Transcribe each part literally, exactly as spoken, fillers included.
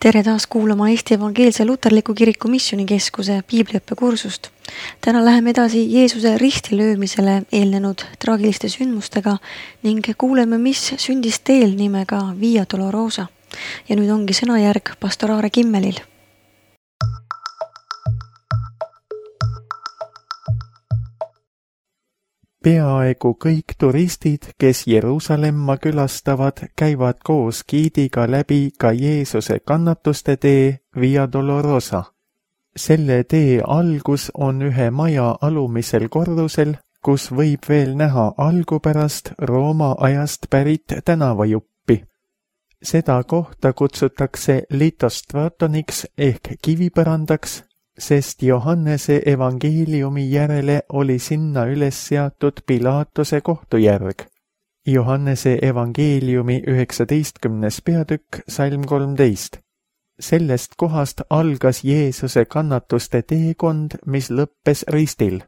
Tere taas kuulama Eesti Evangeelse Luterliku Kiriku Missioonikeskuse piibliõppekursust. Täna läheme edasi Jeesuse ristilöömisele eelnenud traagiliste sündmustega ning kuuleme, mis sündis teel nimega Via Dolorosa. Ja nüüd ongi sõnajärg pastor Aare Kimmelil. Peaaegu kõik turistid, kes Jeruusalemma külastavad, käivad koos giidiga läbi ka Jeesuse kannatuste tee Via Dolorosa. Selle tee algus on ühe maja alumisel korrusel, kus võib veel näha algupärast Rooma ajast pärit tänavajuppi. Seda kohta kutsutakse litostratoniks ehk kivipõrandaks, sest Johannese evangeeliumi järele oli sinna üles seatud Pilatuse kohtujärg. Johannese evangeeliumi üheksateistkümnes peatükk, salm kolmteist. Sellest kohast algas Jeesuse kannatuste teekond, mis lõppes ristil.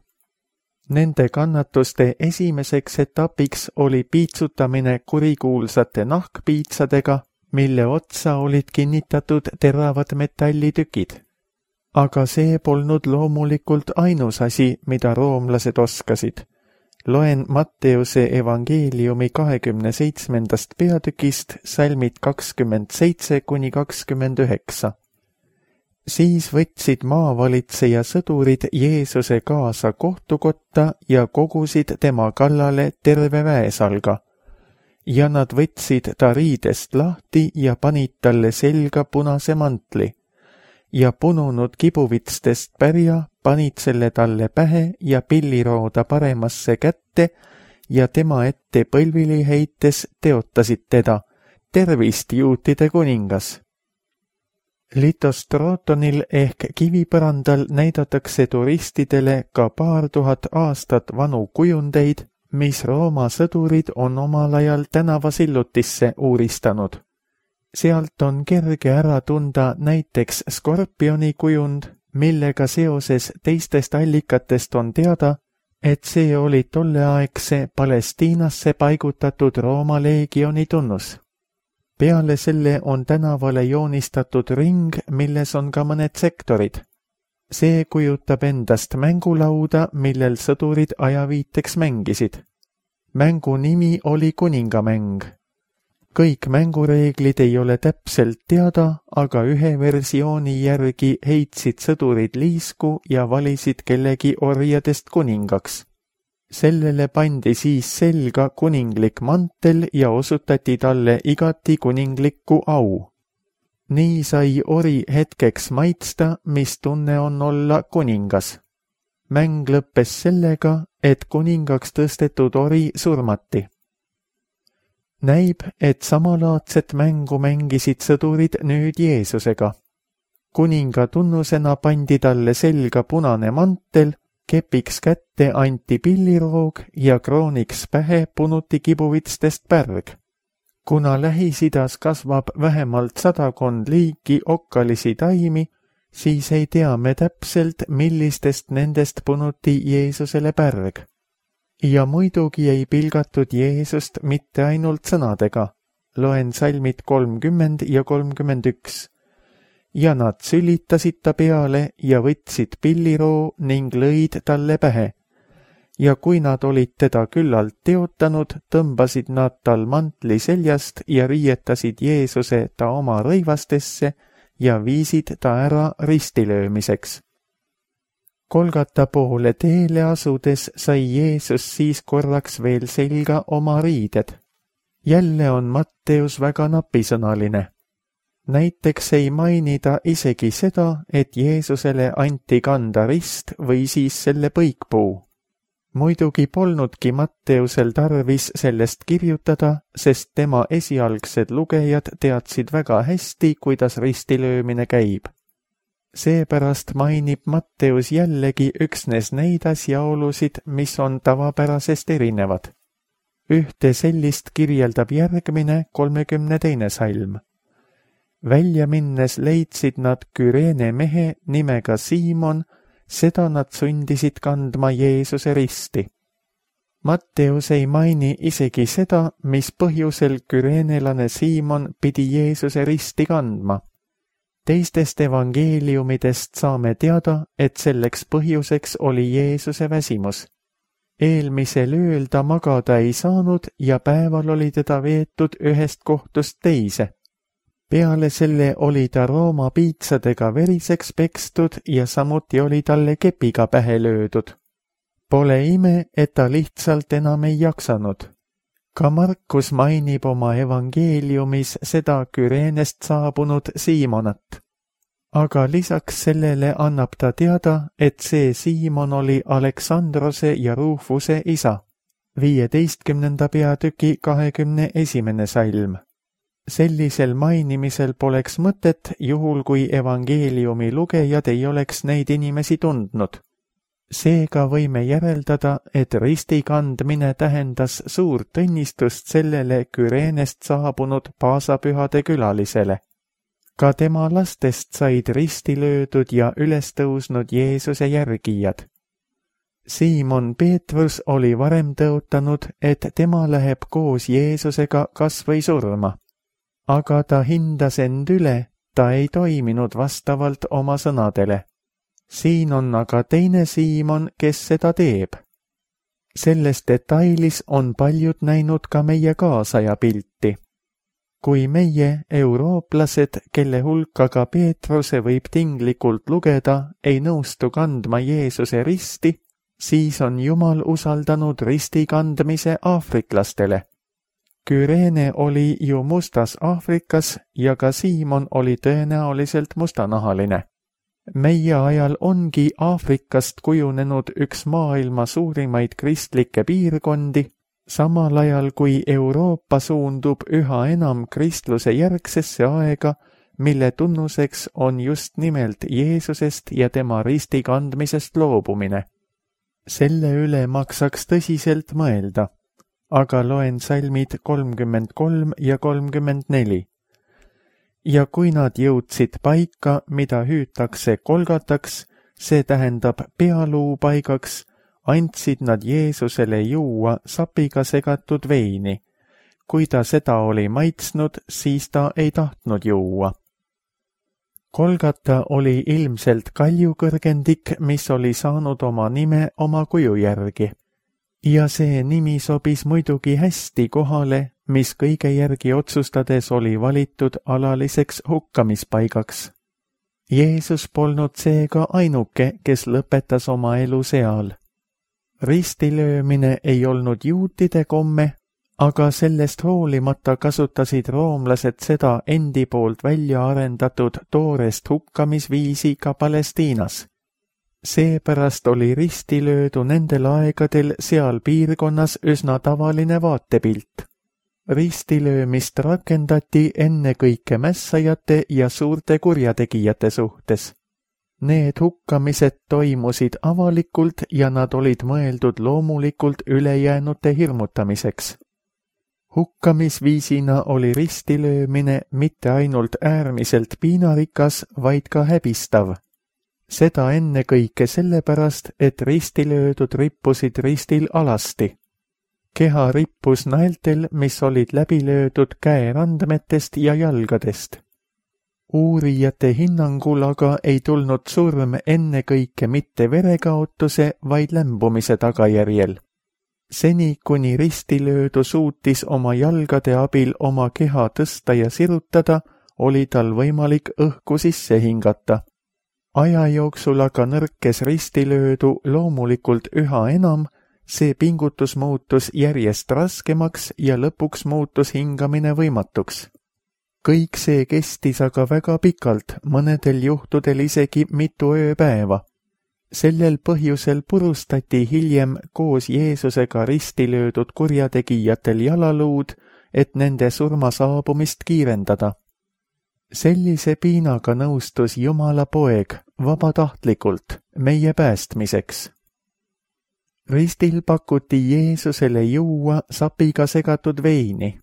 Nende kannatuste esimeseks etapiks oli piitsutamine kurikuulsate nahkpiitsadega, mille otsa olid kinnitatud teravad metallitükid. Aga see polnud loomulikult ainus asi, mida roomlased oskasid. Loen Matteuse evangeeliumi kahekümne seitsmendast peatükist salmid kakskümmend seitse kuni kakskümmend üheksa. Siis võtsid maavalitseja sõdurid Jeesuse kaasa kohtukotta ja kogusid tema kallale terve väesalga. Ja nad võtsid ta riidest lahti ja panid talle selga punase mantli. Ja pununud kibuvitstest pärja panid selle talle pähe ja pillirooda paremasse kätte ja tema ette põlvili heites teotasid teda, tervist juutide kuningas. Litostrotonil ehk kivipõrandal näidatakse turistidele ka paar tuhat aastat vanu kujundeid, mis Rooma sõdurid on omal ajal tänavasillutisse uuristanud. Sealt on kerge ära tunda näiteks skorpioni kujund, millega seoses teistest allikatest on teada, et see oli tolleaegse Palestiinasse paigutatud Rooma leegioni tunnus. Peale selle on tänavale joonistatud ring, milles on ka mõned sektorid. See kujutab endast mängulauda, millel sõdurid ajaviiteks mängisid. Mängu nimi oli kuningamäng. Kõik mängureeglid ei ole täpselt teada, aga ühe versiooni järgi heitsid sõdurid liisku ja valisid kellegi orjadest kuningaks. Sellele pandi siis selga kuninglik mantel ja osutati talle igati kuninglikku au. Nii sai ori hetkeks maitsta, mis tunne on olla kuningas. Mäng lõppes sellega, et kuningaks tõstetud ori surmati. Näib, et samalaadset mängu mängisid sõdurid nüüd Jeesusega. Kuninga tunnusena pandi talle selga punane mantel, kepiks kätte anti pilliroog ja krooniks pähe punuti kibuvitstest pärg. Kuna Lähis-Idas kasvab vähemalt sadakond liiki okkalisi taimi, siis ei tea me täpselt, millistest nendest punuti Jeesusele pärg. Ja muidugi ei pilgatud Jeesust mitte ainult sõnadega. Loen salmid kolmkümmend ja kolmkümmend üks. Ja nad sülitasid ta peale ja võtsid pilliroo ning lõid talle pähe. Ja kui nad olid teda küllalt teotanud, tõmbasid nad tal mantli seljast ja riietasid Jeesuse ta oma rõivastesse ja viisid ta ära ristilöömiseks. Kolgata poole teele asudes sai Jeesus siis korraks veel selga oma riided. Jälle on Matteus väga napisõnaline. Näiteks ei mainida isegi seda, et Jeesusele anti kanda rist või siis selle põikpuu. Muidugi polnudki Matteusel tarvis sellest kirjutada, sest tema esialgsed lugejad teadsid väga hästi, kuidas ristilöömine käib. Seepärast mainib Matteus jällegi üksnes neid asjaolusid, mis on tavapärasest erinevad. Ühte sellist kirjeldab järgmine kolmekümne teine salm. Välja minnes leidsid nad Küreene mehe nimega Siimon, seda nad sundisid kandma Jeesuse risti. Matteus ei maini isegi seda, mis põhjusel küreenelane Siimon pidi Jeesuse risti kandma. Teistest evangeeliumidest saame teada, et selleks põhjuseks oli Jeesuse väsimus. Eelmisel ööl ta magada ei saanud ja päeval oli teda veetud ühest kohtust teise. Peale selle oli ta Rooma piitsadega veriseks pekstud ja samuti oli talle kepiga pähe löödud. Pole ime, et ta lihtsalt enam ei jaksanud. Ka Markus mainib oma evangeeliumis seda Küreenest saabunud Siimonat. Aga lisaks sellele annab ta teada, et see Siimon oli Aleksandrose ja Rufuse isa. viieteistkümnenda peatüki kahekümne esimene salm. Sellisel mainimisel poleks mõtet, juhul kui evangeeliumi lugejad ei oleks neid inimesi tundnud. Seega võime järeldada, et risti kandmine tähendas suurt õnnistust sellele Küreenest saabunud paasapühade külalisele. Ka tema lastest said risti löödud ja üles tõusnud Jeesuse järgijad. Siimon Peetrus oli varem tõotanud, et tema läheb koos Jeesusega kas või surma. Aga ta hindas end üle, ta ei toiminud vastavalt oma sõnadele. Siin on aga teine Siimon, kes seda teeb. Selles detailis on paljud näinud ka meie kaasaja pilti. Kui meie, eurooplased, kelle hulka ka Peetruse võib tinglikult lugeda, ei nõustu kandma Jeesuse risti, siis on Jumal usaldanud risti kandmise aafriklastele. Küreene oli ju mustas Aafrikas ja ka Siimon oli tõenäoliselt mustanahaline. Meie ajal ongi Aafrikast kujunenud üks maailma suurimaid kristlikke piirkondi, samal ajal kui Euroopa suundub üha enam kristluse järgsesse aega, mille tunnuseks on just nimelt Jeesusest ja tema risti kandmisest loobumine. Selle üle maksaks tõsiselt mõelda, aga loen salmid kolmkümmend kolm ja kolmkümmend neli. Ja kui nad jõudsid paika, mida hüütakse kolgataks, see tähendab pealuu paigaks, andsid nad Jeesusele juua sapiga segatud veini. Kui ta seda oli maitsnud, siis ta ei tahtnud juua. Kolgata oli ilmselt kaljukõrgendik, mis oli saanud oma nime oma kuju järgi. Ja see nimi sobis muidugi hästi kohale, mis kõige järgi otsustades oli valitud alaliseks hukkamispaigaks. Jeesus polnud seega ainuke, kes lõpetas oma elu seal. Ristilöömine ei olnud juutide komme, aga sellest hoolimata kasutasid roomlased seda endi poolt välja arendatud toorest hukkamisviisi ka Palestiinas. Seepärast oli ristilöödu nendel aegadel seal piirkonnas üsna tavaline vaatepilt. Ristilöömist rakendati ennekõike mässajate ja suurte kurjategijate suhtes. Need hukkamised toimusid avalikult ja nad olid mõeldud loomulikult ülejäänute hirmutamiseks. Hukkamisviisina oli ristilöömine mitte ainult äärmiselt piinarikas, vaid ka häbistav. Seda ennekõike sellepärast, et ristilöödud rippusid ristil alasti. Keha rippus naeltel, mis olid läbi löödud käerandmetest ja jalgadest. Uurijate hinnangul aga ei tulnud surm ennekõike mitte verekaotuse, vaid lämbumise tagajärjel. Seni, kuni ristilöödu suutis oma jalgade abil oma keha tõsta ja sirutada, oli tal võimalik õhku sisse hingata. Aja jooksul aga nõrkes ristilöödu loomulikult üha enam, see pingutus muutus järjest raskemaks ja lõpuks muutus hingamine võimatuks. Kõik see kestis aga väga pikalt, mõnedel juhtudel isegi mitu ööpäeva. Sellel põhjusel purustati hiljem koos Jeesusega ristilöödud kurjategijatel jalaluud, et nende surma saabumist kiirendada. Sellise piinaga nõustus Jumala poeg vabatahtlikult meie päästmiseks. Ristil pakuti Jeesusele juua sapiga segatud veini.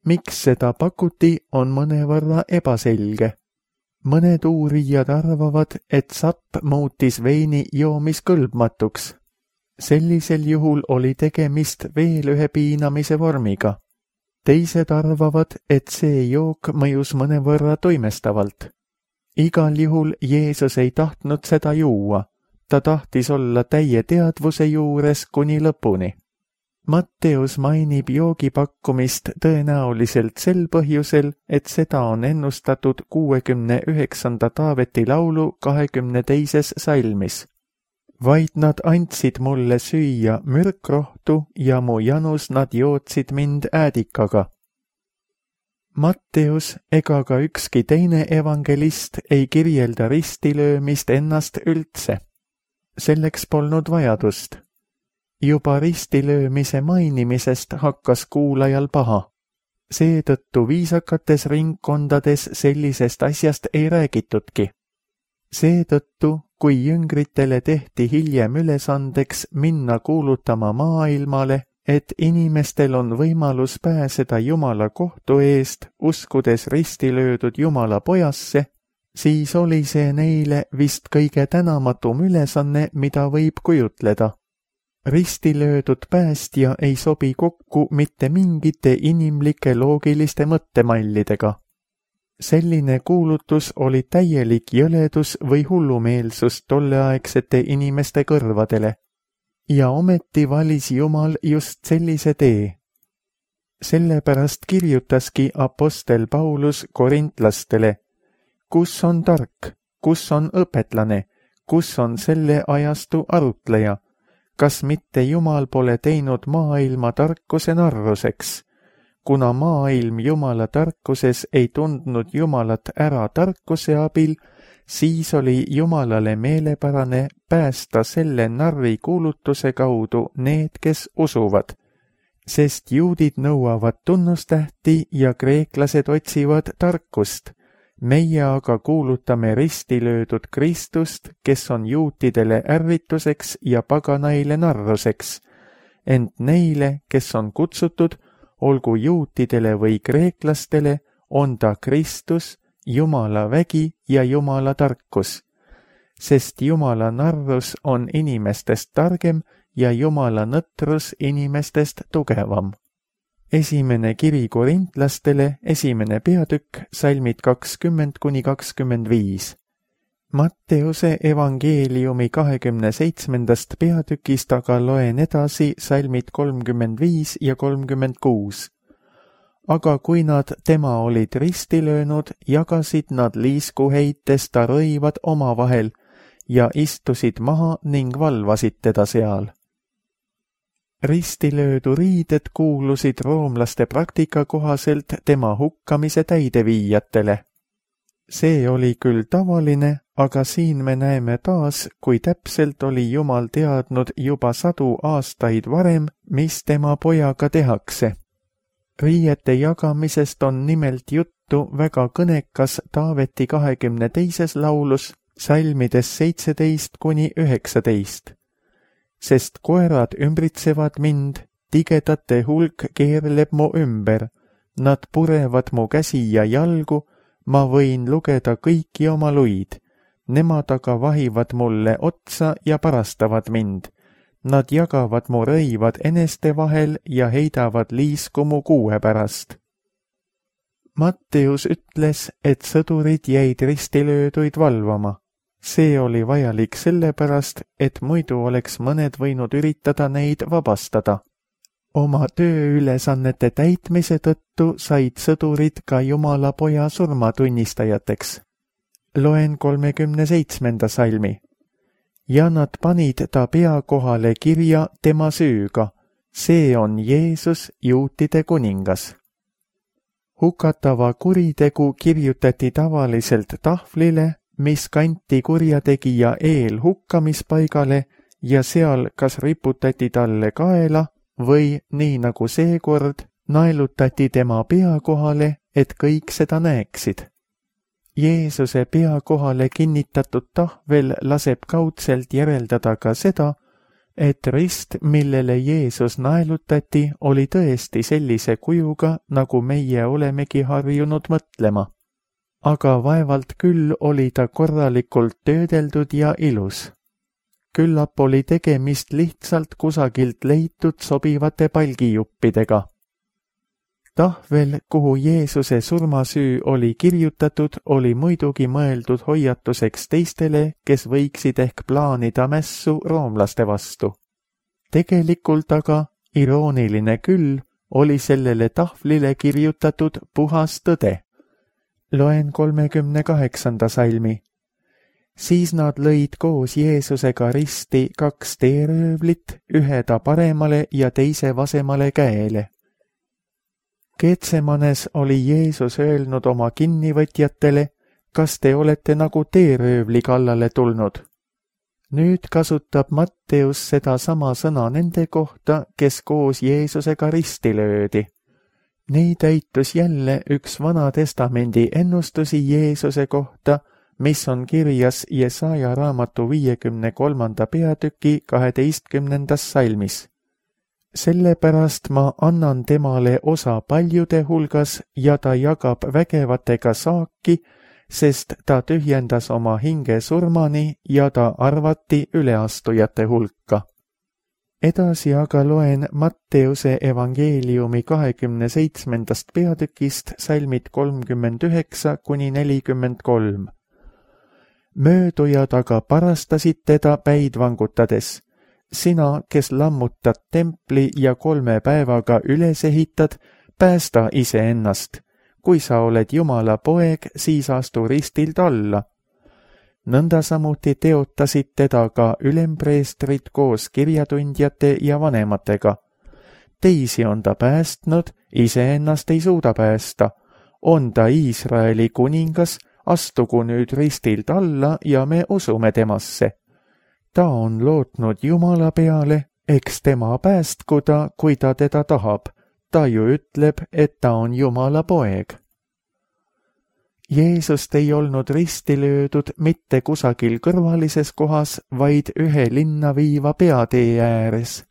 Miks seda pakuti, on mõnevõrra ebaselge. Mõned uurijad arvavad, et sapp muutis veini joomiskõlbmatuks. Sellisel juhul oli tegemist veel ühe piinamise vormiga. Teised arvavad, et see jook mõjus mõnevõrra toimestavalt. Igal juhul Jeesus ei tahtnud seda juua. Ta tahtis olla täie teadvuse juures kuni lõpuni. Matteus mainib joogi pakkumist tõenäoliselt sel põhjusel, et seda on ennustatud kuuekümne üheksanda Taaveti laulu kahekümne teises salmis. Vaid nad andsid mulle süüa mürkrohtu ja mu janus nad jootsid mind äädikaga. Matteus ega ka ükski teine evangelist ei kirjelda ristilöömist ennast üldse. Selleks polnud vajadust. Juba ristilöömise mainimisest hakkas kuulajal paha. Seetõttu viisakates ringkondades sellisest asjast ei räägitudki. Seetõttu, kui jüngritele tehti hiljem ülesandeks minna kuulutama maailmale, et inimestel on võimalus pääseda Jumala kohtu eest, uskudes ristilöödud Jumala pojasse, siis oli see neile vist kõige tänamatum ülesanne, mida võib kujutleda. Ristilöödud päästja ei sobi kokku mitte mingite inimlike loogiliste mõttemallidega. Selline kuulutus oli täielik jõledus või hullumeelsus tolleaegsete inimeste kõrvadele. Ja ometi valis Jumal just sellise tee. Sellepärast kirjutaski apostel Paulus korintlastele, kus on tark, kus on õpetlane, kus on selle ajastu arutleja, kas mitte Jumal pole teinud maailma tarkuse narruseks, kuna maailm Jumala tarkuses ei tundnud Jumalat ära tarkuse abil, siis oli Jumalale meelepärane päästa selle narri kuulutuse kaudu need, kes usuvad, sest juudid nõuavad tunnustähti ja kreeklased otsivad tarkust. Meie aga kuulutame ristilöödud Kristust, kes on juutidele ärrituseks ja paganaile narruseks, ent neile, kes on kutsutud, olgu juutidele või kreeklastele, on ta Kristus, Jumala vägi ja Jumala tarkus, sest Jumala narrus on inimestest targem ja Jumala nõtrus inimestest tugevam. Esimene kiri korintlastele, esimene peatükk, salmid kakskümmend kuni kakskümmend viis. Matteuse evangeeliumi kahekümne seitsmendast peatükist aga loen edasi salmid kolmkümmend viis ja kolmkümmend kuus. Aga kui nad tema olid risti löönud, jagasid nad liiskuheites ta rõivad omavahel ja istusid maha ning valvasid teda seal. Ristilöödu riided kuulusid roomlaste praktika kohaselt tema hukkamise täideviijatele. See oli küll tavaline, aga siin me näeme taas, kui täpselt oli Jumal teadnud juba sadu aastaid varem, mis tema pojaga tehakse. Riiete jagamisest on nimelt juttu väga kõnekas Taaveti kahekümne teises laulus, salmides seitseteist kuni üheksateist. Sest koerad ümbritsevad mind, tigedate hulk keerleb mu ümber, nad purevad mu käsi ja jalgu, ma võin lugeda kõiki oma luid, nemad aga vahivad mulle otsa ja parastavad mind, nad jagavad mu rõivad eneste vahel ja heidavad liisku mu kuue pärast. Matteus ütles, et sõdurid jäid ristilööduid valvama. See oli vajalik sellepärast, et muidu oleks mõned võinud üritada neid vabastada. Oma tööülesannete täitmise tõttu said sõdurid ka Jumala poja surmatunnistajateks. Loen kolmekümne seitsmenda salmi. Ja nad panid ta pea kohale kirja tema süüga. See on Jeesus, juutide kuningas. Hukatava kuritegu kirjutati tavaliselt tahvlile, mis kanti kurjategija eel hukkamispaigale ja seal kas riputati talle kaela või, nii nagu seekord, naelutati tema pea kohale, et kõik seda näeksid. Jeesuse pea kohale kinnitatud tahvel laseb kaudselt järeldada ka seda, et rist, millele Jeesus naelutati, oli tõesti sellise kujuga, nagu meie olemegi harjunud mõtlema. Aga vaevalt küll oli ta korralikult töödeldud ja ilus. Küllap oli tegemist lihtsalt kusagilt leitud sobivate palgijuppidega. Tahvel, kuhu Jeesuse surmasüü oli kirjutatud, oli muidugi mõeldud hoiatuseks teistele, kes võiksid ehk plaanida mässu roomlaste vastu. Tegelikult aga, irooniline küll, oli sellele tahvlile kirjutatud puhas tõde. Loen kolmekümne kaheksanda salmi. Siis nad lõid koos Jeesusega risti kaks teeröövlit, ühe ta paremale ja teise vasemale käele. Getsemanes oli Jeesus öelnud oma kinnivõtjatele, kas te olete nagu teeröövli kallale tulnud. Nüüd kasutab Matteus seda sama sõna nende kohta, kes koos Jeesusega risti löödi. Nii täitus jälle üks Vana Testamendi ennustusi Jeesuse kohta, mis on kirjas Jesaja raamatu viiekümne kolmanda peatüki kaheteistkümnendas salmis. Sellepärast ma annan temale osa paljude hulgas ja ta jagab vägevatega saaki, sest ta tühjendas oma hinge surmani ja ta arvati üleastujate hulka. Edasi aga loen Matteuse evangeeliumi kahekümne seitsmendast peatükist salmid kolmkümmend üheksa kuni nelikümmend kolm. Möödujad aga parastasid teda päid vangutades. Sina, kes lammutad templi ja kolme päevaga üles ehitad, päästa iseennast. Kui sa oled Jumala poeg, siis astu ristilt alla. Nõnda samuti teotasid teda ka ülempreestrid koos kirjatundjate ja vanematega. Teisi on ta päästnud, iseennast ei suuda päästa. On ta Iisraeli kuningas, astugu nüüd ristilt alla ja me usume temasse. Ta on lootnud Jumala peale, eks tema päästku ta, kui ta teda tahab. Ta ju ütleb, et ta on Jumala poeg. Jeesust ei olnud risti löödud mitte kusagil kõrvalises kohas, vaid ühe linna viiva peatee ääres.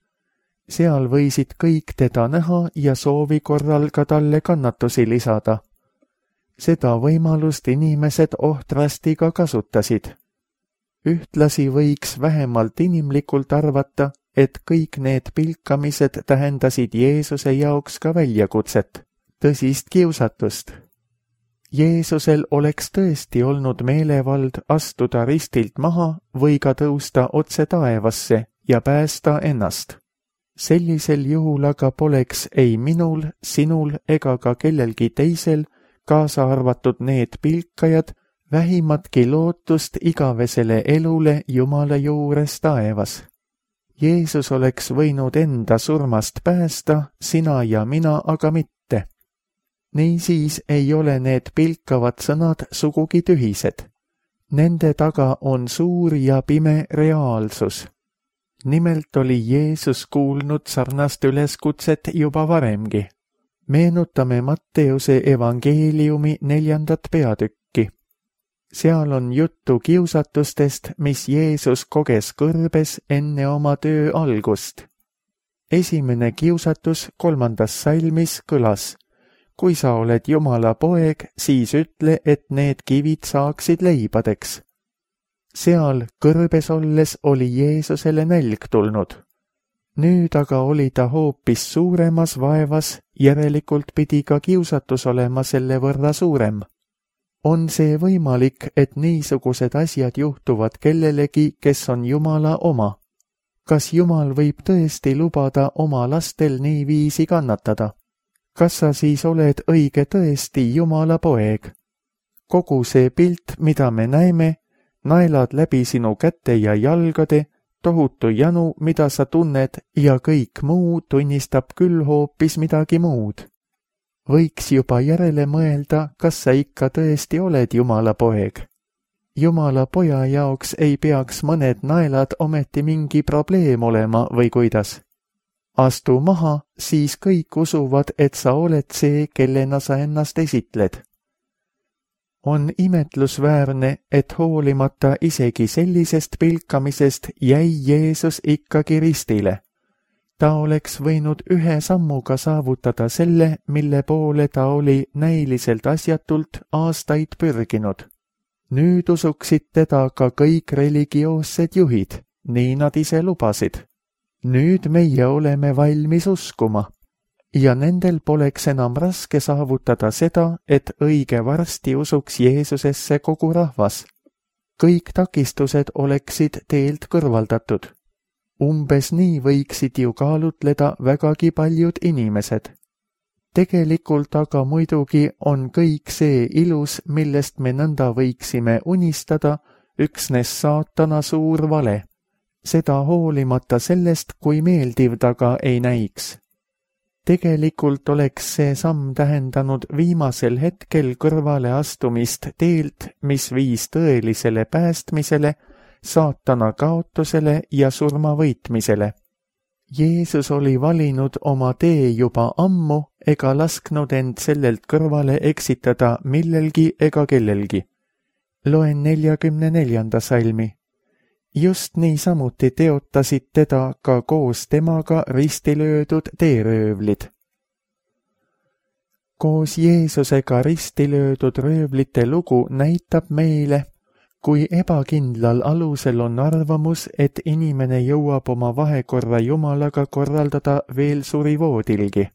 Seal võisid kõik teda näha ja soovi korral ka talle kannatusi lisada. Seda võimalust inimesed ohtrasti ka kasutasid. Ühtlasi võiks vähemalt inimlikult arvata, et kõik need pilkamised tähendasid Jeesuse jaoks ka väljakutset, tõsist kiusatust. Jeesusel oleks tõesti olnud meelevald astuda ristilt maha või ka tõusta otse taevasse ja päästa ennast. Sellisel juhul aga poleks ei minul, sinul ega ka kellelgi teisel, kaasa arvatud need pilkajad, vähimatki lootust igavesele elule Jumala juures taevas. Jeesus oleks võinud enda surmast päästa, sina ja mina aga mitte. Niisiis ei ole need pilkavad sõnad sugugi tühised. Nende taga on suur ja pime reaalsus. Nimelt oli Jeesus kuulnud sarnast üleskutset juba varemgi. Meenutame Matteuse evangeeliumi neljandat peatükki. Seal on juttu kiusatustest, mis Jeesus koges kõrbes enne oma töö algust. Esimene kiusatus kolmandas salmis kõlas. Kui sa oled Jumala poeg, siis ütle, et need kivid saaksid leibadeks. Seal kõrbes olles oli Jeesusele nälg tulnud. Nüüd aga oli ta hoopis suuremas vaevas, järelikult pidi ka kiusatus olema selle võrra suurem. On see võimalik, et niisugused asjad juhtuvad kellelegi, kes on Jumala oma? Kas Jumal võib tõesti lubada oma lastel niiviisi kannatada? Kas sa siis oled õige tõesti Jumala poeg? Kogu see pilt, mida me näeme, naelad läbi sinu käte ja jalgade, tohutu janu, mida sa tunned ja kõik muu tunnistab küll hoopis midagi muud. Võiks juba järele mõelda, kas sa ikka tõesti oled Jumala poeg. Jumala poja jaoks ei peaks mõned naelad ometi mingi probleem olema või kuidas. Astu maha, siis kõik usuvad, et sa oled see, kellena sa ennast esitled. On imetlusväärne, et hoolimata isegi sellisest pilkamisest jäi Jeesus ikkagi ristile. Ta oleks võinud ühe sammuga saavutada selle, mille poole ta oli näiliselt asjatult aastaid pürginud. Nüüd usuksid teda ka kõik religioossed juhid, nii nad ise lubasid. Nüüd meie oleme valmis uskuma. ja nendel poleks enam raske saavutada seda, et õige varsti usuks Jeesusesse kogu rahvas. Kõik takistused oleksid teelt kõrvaldatud. Umbes nii võiksid ju kaalutleda vägagi paljud inimesed. Tegelikult aga muidugi on kõik see ilus, millest me nõnda võiksime unistada, üksnes saatana suur vale. Seda hoolimata sellest, kui meeldiv ta ka ei näiks. Tegelikult oleks see samm tähendanud viimasel hetkel kõrvale astumist teelt, mis viis tõelisele päästmisele, saatana kaotusele ja surma võitmisele. Jeesus oli valinud oma tee juba ammu ega lasknud end sellelt kõrvale eksitada millelgi ega kellelgi. Loen neljakümne neljanda salmi. Just niisamuti teotasid teda ka koos temaga ristilöödud teeröövlid. Koos Jeesusega ristilöödud röövlite lugu näitab meile, kui ebakindlal alusel on arvamus, et inimene jõuab oma vahekorra Jumalaga korraldada veel surivoodilgi.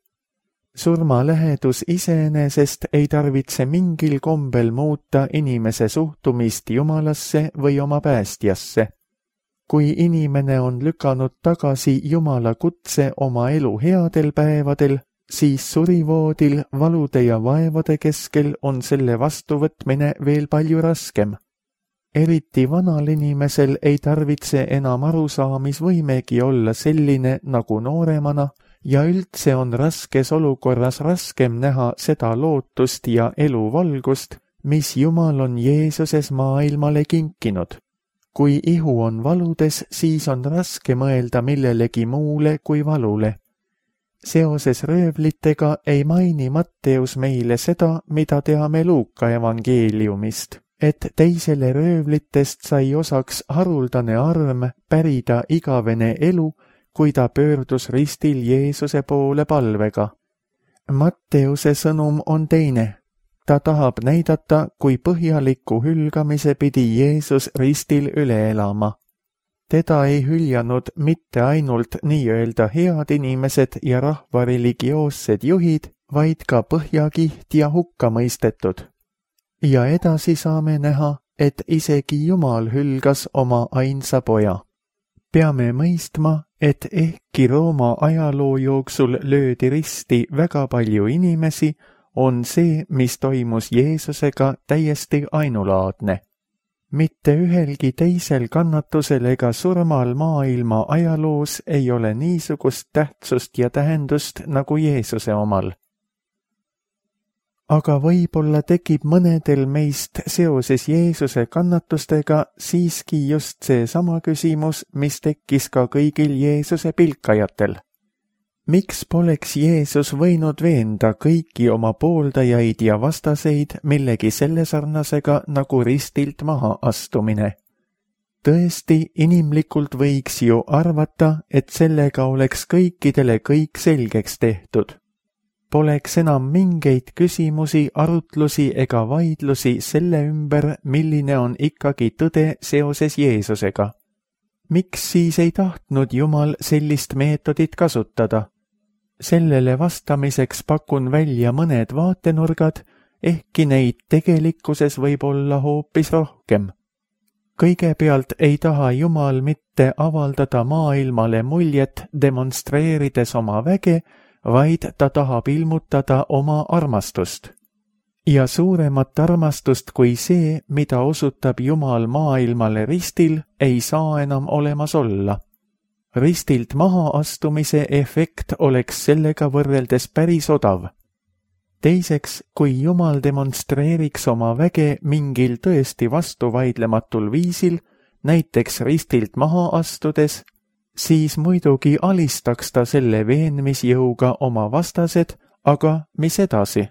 Surma lähedus iseenesest ei tarvitse mingil kombel muuta inimese suhtumist Jumalasse või oma päästjasse. Kui inimene on lükanud tagasi Jumala kutse oma elu headel päevadel, siis surivoodil valude ja vaevade keskel on selle vastuvõtmine veel palju raskem. Eriti vanal inimesel ei tarvitse enam arusaamisvõimegi olla selline nagu nooremana ja üldse on raskes olukorras raskem näha seda lootust ja eluvalgust, mis Jumal on Jeesuses maailmale kinkinud. Kui ihu on valudes, siis on raske mõelda millelegi muule kui valule. Seoses röövlitega ei maini Matteus meile seda, mida teame Luuka evangeeliumist, et teisele röövlitest sai osaks haruldane arm pärida igavene elu, kui ta pöördus ristil Jeesuse poole palvega. Matteuse sõnum on teine. Ta tahab näidata, kui põhjaliku hülgamise pidi Jeesus ristil üle elama. Teda ei hüljanud mitte ainult nii-öelda head inimesed ja rahva religioossed juhid, vaid ka põhjakiht ja hukka mõistetud. Ja edasi saame näha, et isegi Jumal hülgas oma ainsa poja. Peame mõistma, et ehkki Rooma ajaloo jooksul löödi risti väga palju inimesi, on see, mis toimus Jeesusega, täiesti ainulaadne. Mitte ühelgi teisel kannatusel ega surmal maailma ajaloos ei ole niisugust tähtsust ja tähendust nagu Jeesuse omal. Aga võib-olla tekib mõnedel meist seoses Jeesuse kannatustega siiski just see sama küsimus, mis tekkis ka kõigil Jeesuse pilkajatel. Miks poleks Jeesus võinud veenda kõiki oma pooldajaid ja vastaseid millegi selle sarnasega nagu ristilt maha astumine? Tõesti, inimlikult võiks ju arvata, et sellega oleks kõikidele kõik selgeks tehtud. Poleks enam mingeid küsimusi, arutlusi ega vaidlusi selle ümber, milline on ikkagi tõde seoses Jeesusega. Miks siis ei tahtnud Jumal sellist meetodit kasutada? Sellele vastamiseks pakun välja mõned vaatenurgad, ehkki neid tegelikkuses võib olla hoopis rohkem. Kõigepealt ei taha Jumal mitte avaldada maailmale muljet demonstreerides oma väge, vaid ta tahab ilmutada oma armastust. Ja suuremat armastust kui see, mida osutab Jumal maailmale ristil, ei saa enam olemas olla. Ristilt maha astumise efekt oleks sellega võrreldes päris odav. Teiseks, kui Jumal demonstreeriks oma väge mingil tõesti vastuvaidlematul viisil, näiteks ristilt maha astudes, siis muidugi alistaks ta selle veenmisjõuga oma vastased, aga mis edasi?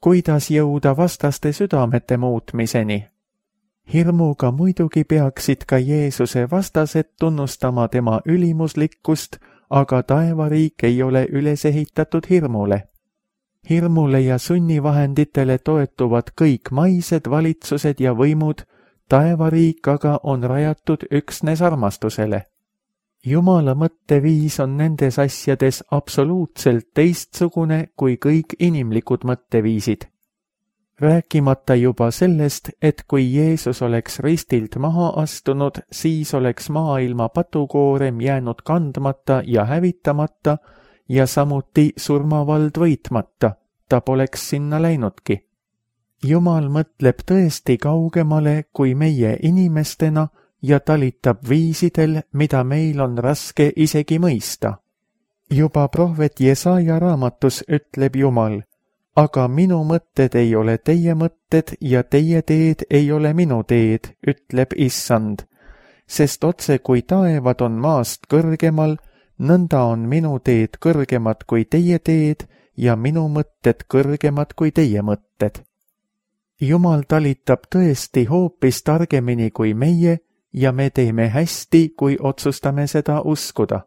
Kuidas jõuda vastaste südamete muutmiseni? Hirmuga muidugi peaksid ka Jeesuse vastased tunnustama tema ülimuslikkust, aga taevariik ei ole üles ehitatud hirmule. Hirmule ja sunnivahenditele toetuvad kõik maised valitsused ja võimud, taevariik aga on rajatud üksnes armastusele. Jumala mõtteviis on nendes asjades absoluutselt teistsugune kui kõik inimlikud mõtteviisid. Rääkimata juba sellest, et kui Jeesus oleks ristilt maha astunud, siis oleks maailma patukoorem jäänud kandmata ja hävitamata ja samuti surmavald võitmata, ta poleks sinna läinudki. Jumal mõtleb tõesti kaugemale kui meie inimestena ja talitab viisidel, mida meil on raske isegi mõista. Juba prohvet Jesaja raamatus ütleb Jumal, aga minu mõtted ei ole teie mõtted ja teie teed ei ole minu teed, ütleb Issand, sest otse kui taevad on maast kõrgemal, nõnda on minu teed kõrgemad kui teie teed ja minu mõtted kõrgemad kui teie mõtted. Jumal talitab tõesti hoopis targemini kui meie ja me teeme hästi, kui otsustame seda uskuda.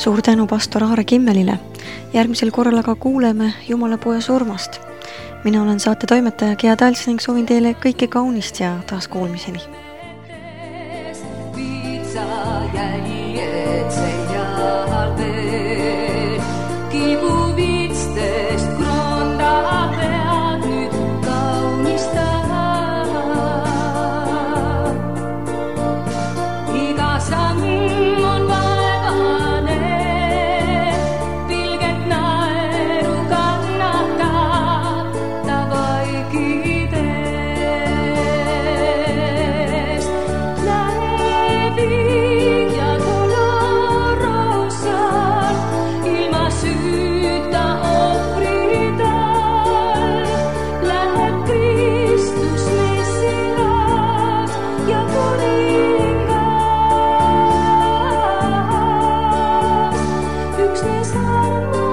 Suur tänu pastor Aare Kimmelile. Järgmisel korral aga kuuleme Jumala poja surmast. Mina olen saate toimetaja Gea Tals ning soovin teile kõike kaunist ja taas kuulmiseni. Yksi saarna